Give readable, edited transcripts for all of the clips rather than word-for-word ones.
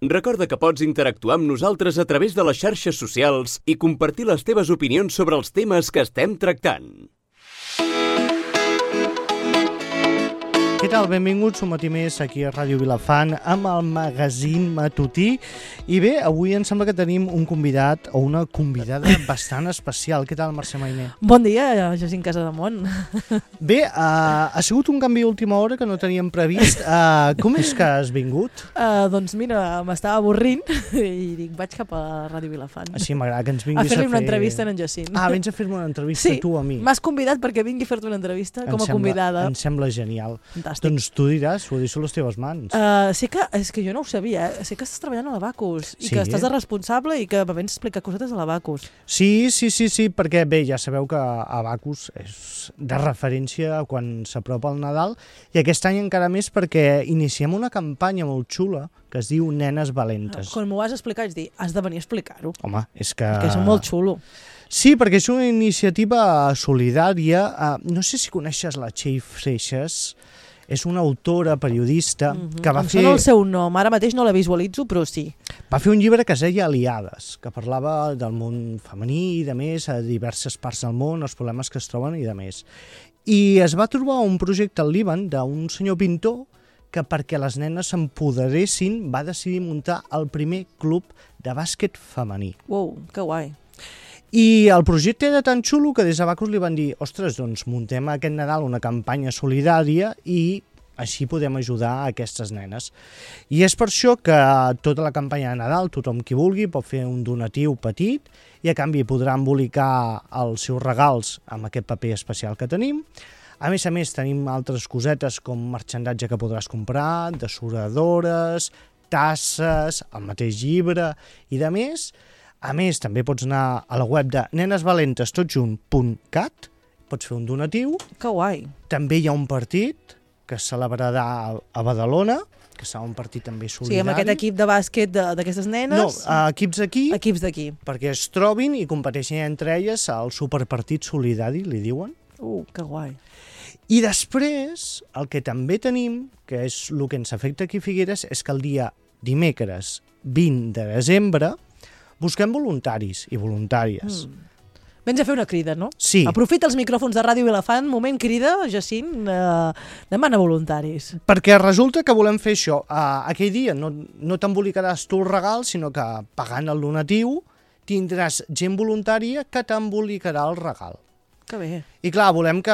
Recorda que pots interactuar amb nosaltres a través de les xarxes socials i compartir les teves opinions sobre els temes que estem tractant. Què tal? Benvinguts un matí més aquí a Ràdio Vilafant amb el magazín matutí. I bé, avui em sembla que tenim un convidat o una convidada bastant especial. Què tal, Mercè Mainer? Bon dia, Jacint Casademont. Bé, ha sigut un canvi a última hora que no teníem previst. Com és que has vingut? Doncs mira, m'estava avorrint i dic, vaig cap a Ràdio Vilafant. Sí, m'agrada que ens vinguis a fer-li una entrevista a en Jacint. Vens a fer-me una entrevista tu a mi. M'has convidat perquè vingui a fer-te una entrevista com a convidada. Em sembla genial. Fantàstic. Doncs tu diràs, ho deixo a les teves mans. És que jo no ho sabia, sé que estàs treballant a l'Abacus i que estàs de responsable i que vens a explicar cosetes a l'Abacus. Sí, perquè bé, ja sabeu que Abacus és de referència quan s'apropa el Nadal i aquest any encara més perquè iniciem una campanya molt xula que es diu Nenes Valentes. Quan m'ho vas explicar vaig dir, has de venir a explicar-ho. Home, és que... Perquè és molt xulo. Sí, perquè és una iniciativa solidària. No sé si coneixes la Txell Freixas. És una autora, periodista, que va fer... Em sona el seu nom, ara mateix no la visualitzo, però sí. Va fer un llibre que es deia Aliades, que parlava del món femení i de més, a diverses parts del món, els problemes que es troben i de més. I es va trobar un projecte al Líban d'un senyor pintor que perquè les nenes s'empoderessin va decidir muntar el primer club de bàsquet femení. Uau, que guai. I el projecte era tan xulo que des d'Abacus li van dir ostres, doncs muntem aquest Nadal una campanya solidària i així podem ajudar a aquestes nenes. I és per això que tota la campanya de Nadal, tothom qui vulgui pot fer un donatiu petit i a canvi podrà embolicar els seus regals amb aquest paper especial que tenim. A més, tenim altres cosetes com marxandatge que podràs comprar, dessuradores, tasses, el mateix llibre i de més. A més, també pots anar a la web de nenesvalentestotjunt.cat, pots fer un donatiu. Que guai. També hi ha un partit que es celebrarà a Badalona, que serà un partit també solidari. Sí, amb aquest equip de bàsquet d'aquestes nenes? No, equips d'aquí. Equips d'aquí. Perquè es trobin i competeixin entre elles al superpartit solidari, li diuen. Que guai. I després, el que també tenim, que és el que ens afecta aquí a Figueres, és que el dia dimecres 20 de desembre busquem voluntaris i voluntàries. Vens a fer una crida, no? Sí. Aprofita els micròfons de Ràdio Vilafant, moment crida, Jacint, demana voluntaris. Perquè resulta que volem fer això. Aquell dia no t'embolicaràs tu el regal, sinó que pagant el donatiu tindràs gent voluntària que t'embolicarà el regal. Que bé. I clar, volem que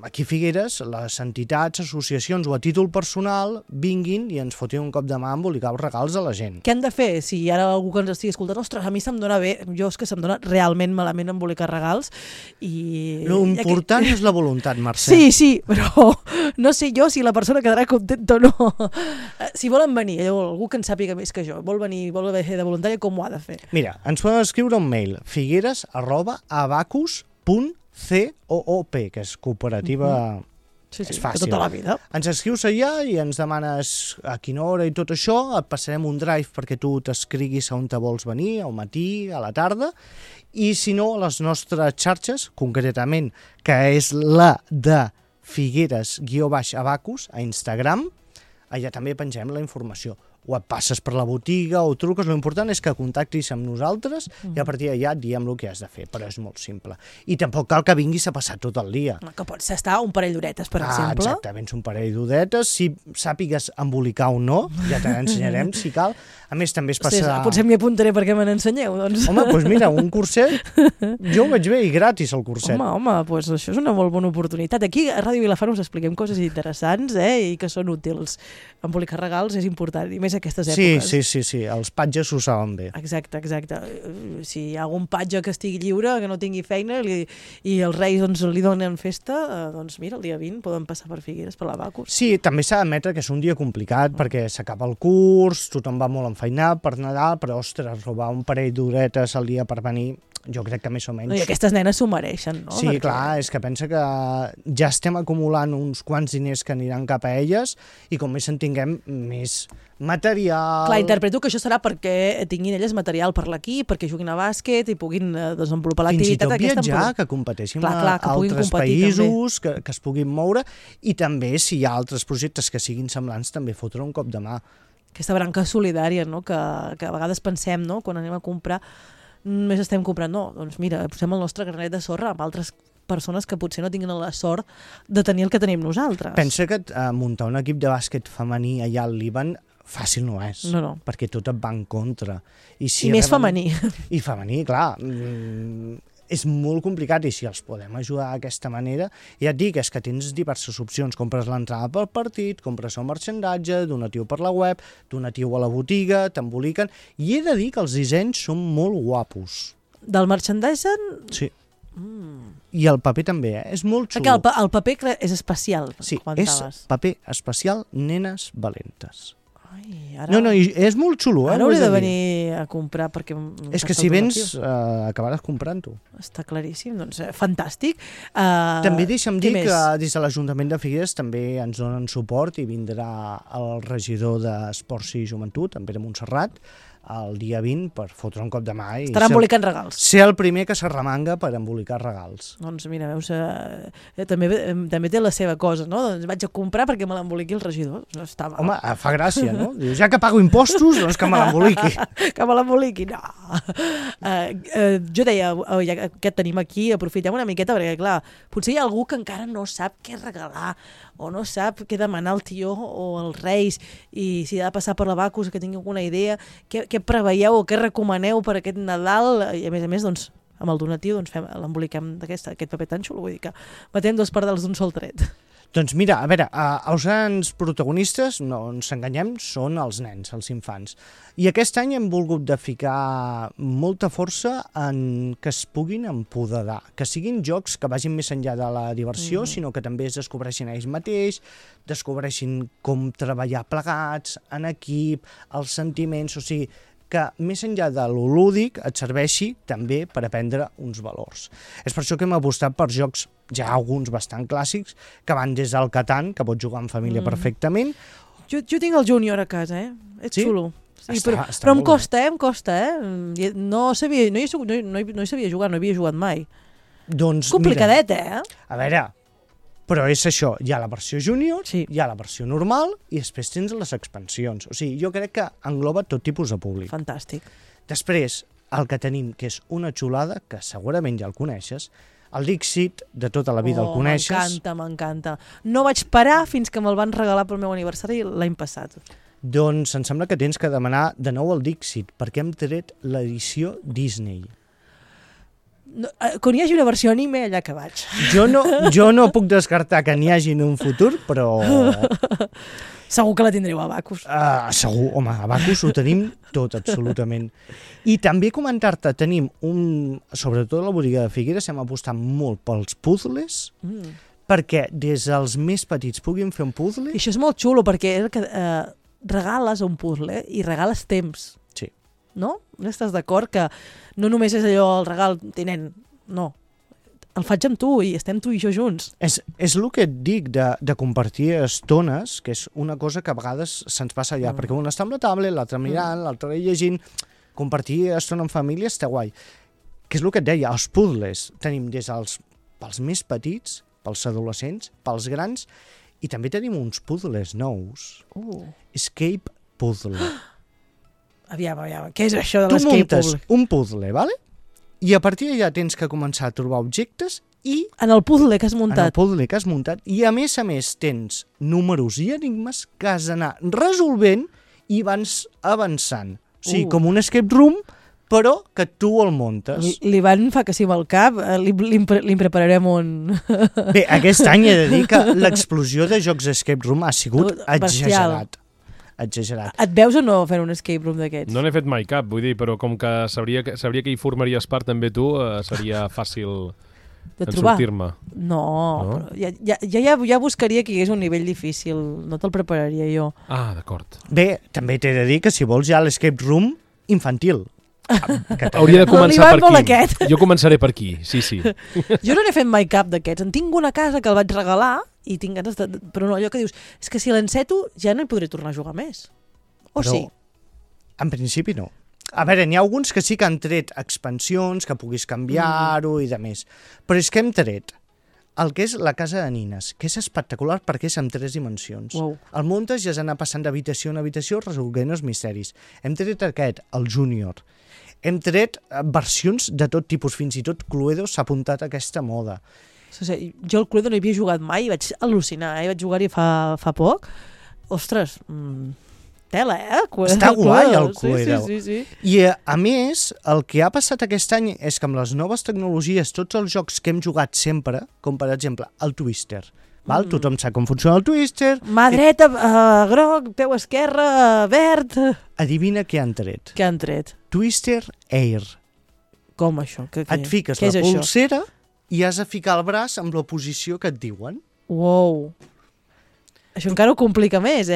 aquí a Figueres les entitats, associacions o a títol personal vinguin i ens fotin un cop de mà a embolicar els regals a la gent. Què han de fer? Si ara algú que ens estigui escoltant, ostres, a mi se'm dona bé, jo és que se'm dona realment malament embolicar regals i... L'important és la voluntat, Mercè. Sí, però no sé jo si la persona quedarà contenta o no. Si volen venir, algú que en sàpiga més que jo, vol venir, vol fer de voluntària, com ho ha de fer? Mira, ens poden escriure un mail, figueres@abacus.coop, que és cooperativa... Sí, és fàcil. Tota la vida. Ens escrius allà i ens demanes a quina hora i tot això, et passarem un drive perquè tu t'escriguis a on te vols venir, al matí, a la tarda, i si no, a les nostres xarxes, concretament, que és la de Figueres_Abacus a Instagram, allà també pengem la informació. O et passes per la botiga o truques, l'important és que contactis amb nosaltres i a partir d'allà et diem el que has de fer, però és molt simple. I tampoc cal que vinguis a passar tot el dia. Que pots estar un parell d'horetes, per exemple. Exactament, un parell d'horetes, si sàpigues embolicar o no, ja te n'ensenyarem si cal. A més, també es passa... Potser m'hi apuntaré perquè me n'ensenyeu, doncs. Home, doncs mira, un curset, jo ho veig bé i gratis el curset. Home, doncs això és una molt bona oportunitat. Aquí a Ràdio Vilafant us expliquem coses interessants i que són útils. Embolicar regals és important, i més aquestes èpoques. Sí, els patges ho saben bé. Exacte. Si hi ha algun patge que estigui lliure, que no tingui feina i els reis li donen festa, doncs mira, el dia 20 poden passar per Figueres, per l'Abacus. Sí, també s'ha d'admetre que és un dia complicat perquè s'acaba el curs, tothom va molt enfeinat per Nadal, però ostres, robar un parell d'horetes al dia per venir, jo crec que més o menys... I aquestes nenes s'ho mereixen, no? Sí, clar, és que pensa que ja estem acumulant uns quants diners que aniran cap a elles i com més en tinguem, més material... Clar, interpreto que això serà perquè tinguin elles material per l'equip, perquè juguin a bàsquet i puguin desenvolupar l'activitat aquesta... Fins i tot viatjar, que competeixin a altres competir, països, que es puguin moure, i també, si hi ha altres projectes que siguin semblants, també fotre un cop de mà. aquesta branca solidària, no? Que a vegades pensem, no? Quan anem a comprar, només estem comprant, no, doncs mira, posem el nostre granet de sorra amb altres persones que potser no tinguin la sort de tenir el que tenim nosaltres. Pensa que muntar un equip de bàsquet femení allà al Líban fàcil no és, No. perquè tot et va en contra. I més femení. I femení, clar. És molt complicat, i si els podem ajudar d'aquesta manera, ja et dic, és que tens diverses opcions. Compres l'entrada pel partit, compres el marxandatge, donatiu per la web, donatiu a la botiga, t'emboliquen... I he de dir que els dissenys són molt guapos. Del merchandising... Sí. I el paper també, és molt xulo. Perquè el paper és especial, sí, comentaves. És paper especial nenes valentes. Ai, ara... No, és molt xulo. Ara hauré de venir a comprar perquè... És que si vens acabaràs comprant-ho. Està claríssim, doncs fantàstic. També deixa'm dir més? que des de l'Ajuntament de Figueres també ens donen suport i vindrà el regidor d'Esports i Joventut, en Pere Montserrat, el dia 20 per fotre un cop de mà i estarà embolicant regals. Ser el primer que s'arremanga per embolicar regals. Doncs mira, veus, també té la seva cosa, no? Doncs vaig a comprar perquè me l'emboliqui el regidor. Està mal. Home, fa gràcia, no? Dius, ja que pago impostos, doncs que me l'emboliqui. Que me l'emboliqui, no. Jo deia, ja que et tenim aquí, aprofitem una miqueta, perquè clar, potser hi ha algú que encara no sap què regalar, o no sap què demanar al tió o als reis, i si ha de passar per la Bacus, que tingui alguna idea, què preveieu o què recomaneu per aquest Nadal, i a més, doncs, amb el donatiu doncs l'emboliquem d'aquest paper tan xulo, vull dir que matem dos pardals d'un sol tret. Doncs mira, a veure, els grans protagonistes, no ens enganyem, són els nens, els infants. I aquest any hem volgut de ficar molta força en que es puguin empoderar, que siguin jocs que vagin més enllà de la diversió, sinó que també es descobreixin ells mateix, descobreixin com treballar plegats, en equip, els sentiments, o sigui, que més enllà de lo lúdic et serveixi també per aprendre uns valors. És per això que hem apostat per jocs, ja alguns bastant clàssics, que van des del Catan, que pots jugar en família perfectament. Jo tinc el Júnior a casa, És xulo. Sí, està però em molt costa, No hi sabia jugar, no hi havia jugat mai. Doncs, Complicadet, A veure, però és això, hi ha la versió júnior, sí. Hi ha la versió normal i després tens les expansions. O sigui, jo crec que engloba tot tipus de públic. Fantàstic. Després, el que tenim, que és una xulada, que segurament ja el coneixes, el Dixit, de tota la vida el coneixes. M'encanta. No vaig parar fins que me'l van regalar pel meu aniversari l'any passat. Doncs em sembla que tens que demanar de nou el Dixit, perquè hem tret l'edició Disney. No, quan hi hagi una versió anime, allà que vaig. Jo no puc descartar que n'hi hagi en un futur, però... Segur que la tindreu a Bacus. Segur, home, a Bacus ho tenim tot, absolutament. I també comentar-te, tenim sobretot a la botiga de Figueres, hem apostat molt pels puzzles, perquè des dels més petits puguin fer un puzzle... I això és molt xulo, perquè és que regales un puzzle i regales temps. Sí. No? No estàs d'acord que no només és allò el regal, tinent, no. El faig amb tu i estem tu i jo junts. És el que et dic de compartir estones, que és una cosa que a vegades se'ns passa allà, perquè un està amb la tablet, l'altre mirant, l'altre llegint. Compartir estona en família està guai. Que és el que et deia, els puzzles tenim pels més petits, pels adolescents, pels grans, i també tenim uns puzzles nous. Escape puzzle. Aviam, què és això de l'escape puzzle? Tu muntes un puzzle, ¿vale? I a partir d'allà tens que començar a trobar objectes i... En el puzzle que has muntat. En el puzzle que has muntat. I a més tens números i enigmes que has d'anar resolvent i vas avançant. O sigui, com un escape room, però que tu el muntes. L'Ivan fa que sí amb el cap, li prepararem un... Bé, aquest any he de dir que l'explosió de jocs escape room ha sigut exagerat. Et veus o no fent un escape room d'aquests? No n'he fet mai cap, vull dir, però com que sabria que hi formaries part també tu, seria fàcil de trobar. Sortir-me. No? Però ja buscaria que hi hagués un nivell difícil, no te'l prepararia jo. Ah, d'acord. Bé, també t'he de dir que si vols ja l'escape room infantil. Hauria de començar per aquí. Jo començaré per aquí, sí. Jo no n'he fet mai cap d'aquests. En tinc una casa que el vaig regalar i tinc ganes de... Però no, allò que dius, és que si l'enceto ja no hi podré tornar a jugar més. O però, sí? En principi no. A veure, n'hi ha alguns que sí que han tret expansions, que puguis canviar-ho i de més. Però és que hem tret el que és la casa de nines, que és espectacular perquè és amb 3 dimensions. Uau. El muntes i has d'anar passant d'habitació en habitació resolguent els misteris. Hem tret aquest, el Júnior. Hem tret versions de tot tipus, fins i tot Cluedo s'ha apuntat a aquesta moda. O sigui, jo el Cluedo no hi havia jugat mai i vaig al·lucinar, Vaig jugar-hi fa poc. Ostres, tela, Està guai el Cluedo. Sí. I a més, el que ha passat aquest any és que amb les noves tecnologies, tots els jocs que hem jugat sempre, com per exemple el Twister, val? Tothom sap com funciona el Twister. Mà dreta, groc, peu esquerra, verd... Adivina què han tret. Què han tret? Twister Air. Com això? Et fiques la pulsera i has de ficar el braç amb la posició que et diuen. Uau. Això encara ho complica més,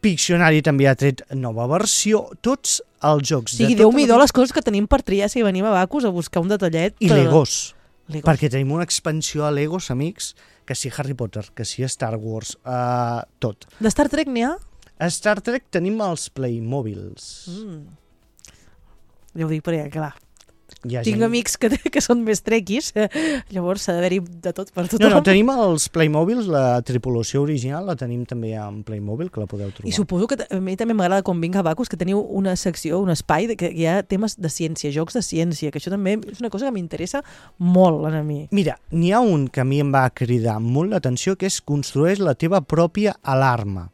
Pictionary també ha tret nova versió. Tots els jocs... O sigui, Déu-m'hi-do les coses que tenim per triar si venim a Bacus a buscar un detallet. I Legos. Perquè tenim una expansió a Legos, amics, que si Harry Potter, que si Star Wars, tot. De Star Trek n'hi ha? A Star Trek tenim els Playmobils. Ja ho dic perquè, clar, tinc amics que són més trequis, llavors s'ha d'haver-hi de tot per tothom. No, tenim els Playmobils, la tripulació original la tenim també en Playmobil, que la podeu trobar. I suposo que a mi també m'agrada quan vinc a Bacus que teniu una secció, un espai que hi ha temes de ciència, jocs de ciència, que això també és una cosa que m'interessa molt a mi. Mira, n'hi ha un que a mi em va cridar molt l'atenció, que és construeix la teva pròpia alarma.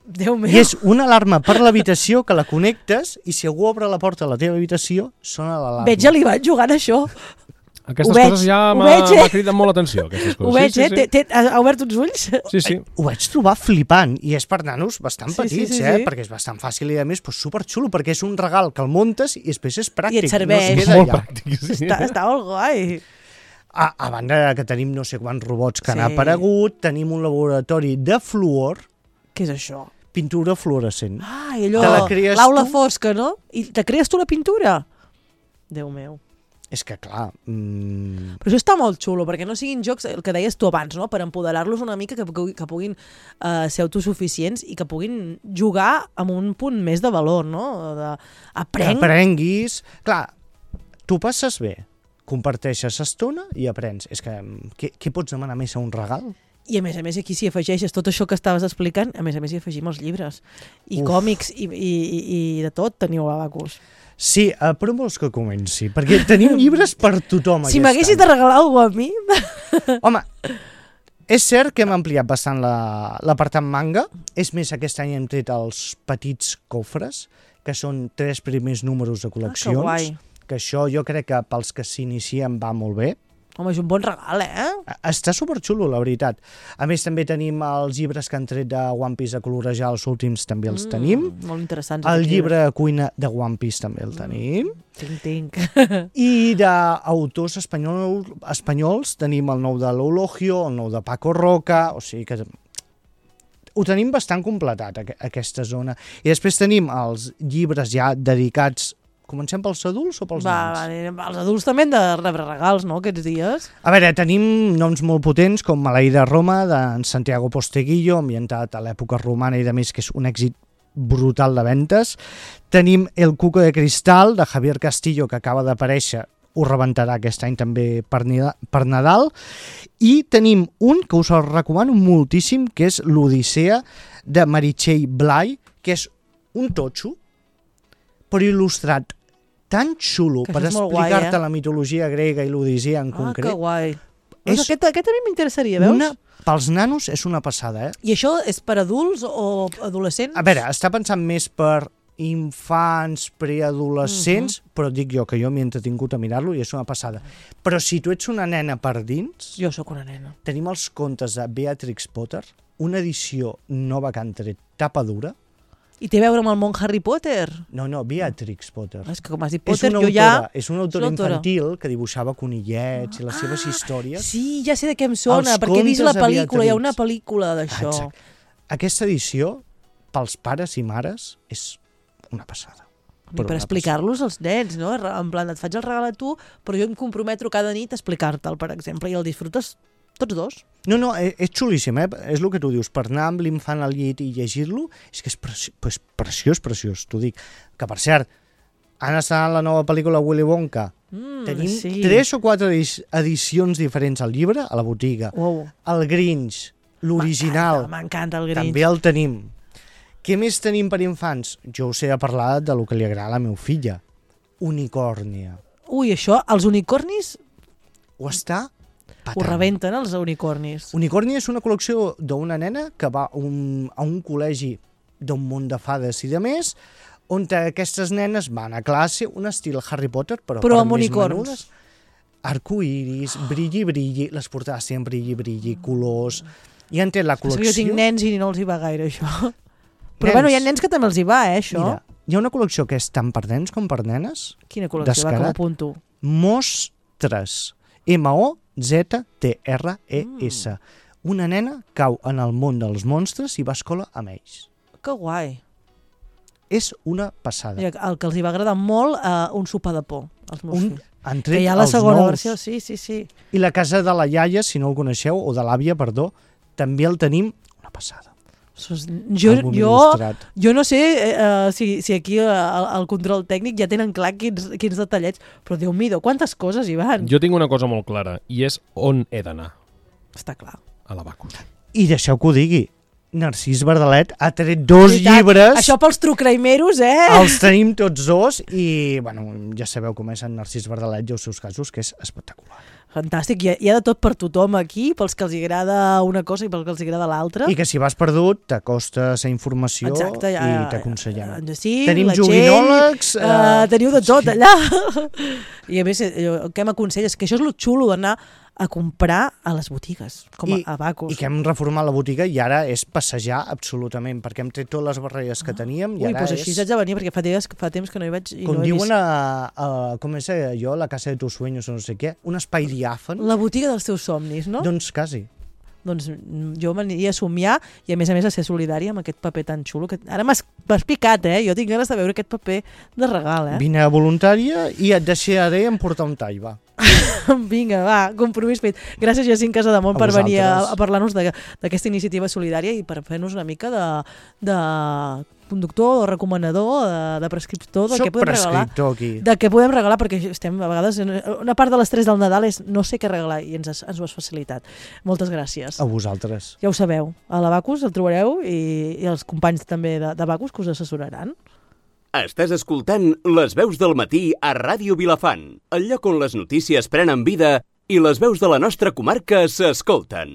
Déu meu. I és una alarma per l'habitació que la connectes i si algú obre la porta a la teva habitació, sona l'alarma. Veig a l'Ivan jugant això. Aquestes coses ja m'ha cridat molt l'atenció. Ho veig, ha obert uns ulls? Sí. Ho vaig trobar flipant i és per nanos bastant petits, perquè és bastant fàcil i a més superxulo, perquè és un regal que el muntes i després és pràctic. I et serveix. No es queda molt allà. pràctic, sí. Està molt guai. A banda que tenim no sé quants robots que han aparegut, tenim un laboratori de fluor. Què és això? Pintura fluorescent. I allò, l'aula fosca, no? I te crees tu la pintura? Déu meu. És que, clar... Però això està molt xulo, perquè no siguin jocs, el que deies tu abans, no? Per empoderar-los una mica, que puguin ser autosuficients i que puguin jugar amb un punt més de valor, no? Que aprenguis... Clar, tu passes bé, comparteixes estona i aprens. És que què pots demanar més a un regal? I a més aquí si afegeixes tot això que estaves explicant, a més hi afegim els llibres i còmics i de tot teniu a Bacus. Sí, però vols que comenci? Perquè tenim llibres per tothom. Si m'haguessis de regalar alguna cosa a mi... Home, és cert que hem ampliat bastant l'apartat manga. És més, aquest any hem tret els petits cofres, que són 3 primers números de col·leccions. Que guai. Que això jo crec que pels que s'inicien va molt bé. Home, és un bon regal, Està superxulo, la veritat. A més, també tenim els llibres que han tret de One Piece a colorejar, els últims també els tenim. Molt interessants. El llibre de cuina de One Piece també el tenim. Tinc. I d'autors espanyols tenim el nou de l'Eulogio, el nou de Paco Roca, o sigui que ho tenim bastant completat, aquesta zona. I després tenim els llibres ja dedicats. Comencem pels adults o pels nens? Els adults també han de rebre regals, no?, aquests dies. A veure, tenim noms molt potents com Maleïda Roma, d'en Santiago Posteguillo, ambientat a l'època romana i de més, que és un èxit brutal de ventes. Tenim El Cuco de Cristal, de Javier Castillo, que acaba d'aparèixer, ho rebentarà aquest any també per Nadal. I tenim un que us el recomano moltíssim, que és l'Odissea, de Meritxell Blay, que és un totxo, però il·lustrat tan xulo per explicar-te la mitologia grega i l'Odissea en concret. Que guai. Aquest a mi m'interessaria, veus? Pels nanos és una passada, I això és per adults o adolescents? A veure, està pensant més per infants, preadolescents, però dic jo que jo m'he entretingut a mirar-lo i és una passada. Però si tu ets una nena per dins... Jo sóc una nena. Tenim els contes de Beatrix Potter, una edició nova que han tret, tapa dura. I té a veure amb el món Harry Potter? No, Beatrix Potter. És que com has dit Potter, jo ja... És una autora infantil que dibuixava conillets i les seves històries. Sí, ja sé de què em sona, perquè he vist la pel·lícula, hi ha una pel·lícula d'això. Aquesta edició, pels pares i mares, és una passada. I per explicar-los als nens, no? En plan, et faig el regal a tu, però jo em comprometo cada nit a explicar-te'l, per exemple, i el disfrutes tots dos. No, és xulíssim, és el que tu dius, per anar amb l'infant al llit i llegir-lo, és que és preciós, t'ho dic. Que, per cert, Han estrenat la nova pel·lícula Willy Wonka. Tenim sí. 3 o 4 edicions diferents al llibre, a la botiga. Uau. El Grinch, l'original, M'encanta el Grinch. també el tenim. Què més tenim per infants? Jo us he de parlar de lo que li agrada a la meva filla. Unicornia. Ui, això, els unicornis Ho està patant. ho rebenten, els unicornis. Unicornia és una col·lecció d'una nena que va a un col·legi d'un món de fades i de més, on aquestes nenes van a classe, un estil Harry Potter, però per amb més unicorns. menudes. Arcoiris, brilli, les portades tenen brilli, colors. I han tret la És que col·lecció... jo tinc nens i no els hi va gaire, això. Però Nens. bueno, hi ha nens que també els hi va, això. Mira, hi ha una col·lecció que és tant per nens com per nenes. Quina col·lecció, va, com Descarat. apunto. Mostres. M-O-Z-T-R-E-S. Una nena cau en el món dels monstres i va a escola amb ells. Que guai. És una passada. Mira, el que els hi va agradar molt, un sopar de por, als meus fills. Han Que tret hi ha la els segona nous. versió, sí. I la casa de la iaia, si no el coneixeu, o de l'àvia, perdó, també el tenim una passada. Àlbum il·lustrat. Jo no sé si aquí el control tècnic ja tenen clar quins detallets, però Déu-m'hi-do, quantes coses hi van. Jo tinc una cosa molt clara, i és on he d'anar, Està clar. a l'Abacus. I deixeu que ho digui, Narcís Verdalet ha tret 2 Veritat, llibres, Això pels trucraimeros, els tenim tots 2 i, bueno, ja sabeu com és en Narcís Verdalet i els seus casos, que és espectacular. Fantàstic, hi ha de tot per tothom aquí, pels que els agrada una cosa i pels que els agrada l'altra. I que si vas perdut, t'acostes a informació. Exacte, I t'aconsellem. En Jacint, Tenim la Txell, joguinòlegs, teniu de tot allà. I a més, el que m'aconselles, que això és lo xulo d'anar a comprar a les botigues, com a Abacus. I que hem reformat la botiga i ara és passejar absolutament, perquè hem tret totes les barreres que teníem i Ui, ara doncs és... així haig de venir, perquè fa temps que no hi vaig i Com no he diuen vist. com és allò, la casa de tus sueños o no sé què, un espai diàfan, La botiga dels teus somnis, no? doncs quasi. Doncs jo m'aniria a somiar i a més a ser solidària amb aquest paper tan xulo. Que ara m'has picat, Jo tinc ganes de veure aquest paper de regal, Vine a voluntària i et deixaré emportar un tall, va. Vinga, va, compromís fet. Gràcies, Jacint Casademont, A per venir vosaltres. a parlar-nos d'aquesta iniciativa solidària i per fer-nos una mica de conductor o recomanador, de prescriptor del Soc que podem regalar. prescriptor aquí. De què podem regalar, perquè estem a vegades... Una part de l'estrès del Nadal és no sé què regalar i ens ho has facilitat. Moltes gràcies. A vosaltres. Ja ho sabeu, a l'Abacus el trobareu i els companys també d'Abacus que us assessoraran. Estàs escoltant Les veus del matí a Ràdio Vilafant, el lloc on les notícies prenen vida i les veus de la nostra comarca s'escolten.